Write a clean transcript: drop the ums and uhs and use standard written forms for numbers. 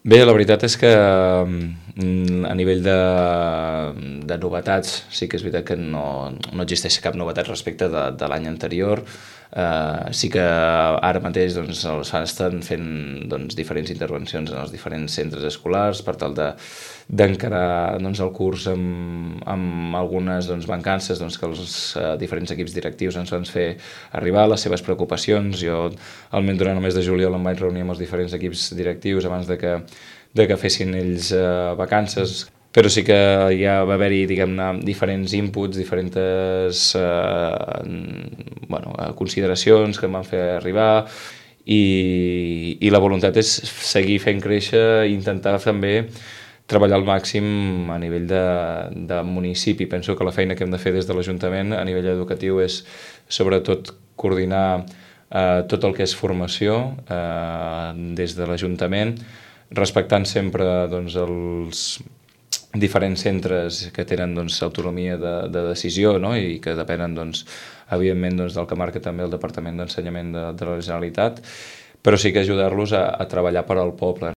Bé, la veritat és que a nivell de novetats sí que és veritat que no existeix cap novetat respecte de l'any anterior. Sí que ara mateix doncs, estan fent diferents intervencions en els diferents centres escolars per tal d'encarar el curs amb algunes mancances que els diferents equips directius ens van fer arribar, les seves preocupacions. Jo durant el mes de juliol em vaig reunir amb els diferents equips directius abans de que fessin ells vacances, però sí que ja va haver-hi, diguem-ne, diferents inputs, diferents consideracions que em van fer arribar i la voluntat és seguir fent créixer i intentar també treballar al màxim a nivell de municipi. Penso que la feina que hem de fer des de l'Ajuntament a nivell educatiu és sobretot coordinar tot el que és formació des de l'Ajuntament, respectant sempre els diferents centres que tenen autonomia de decisió, no? I que depenen evidentment del que marca també el Departament d'Ensenyament de la Generalitat, però sí que ajudar-los a treballar per al poble.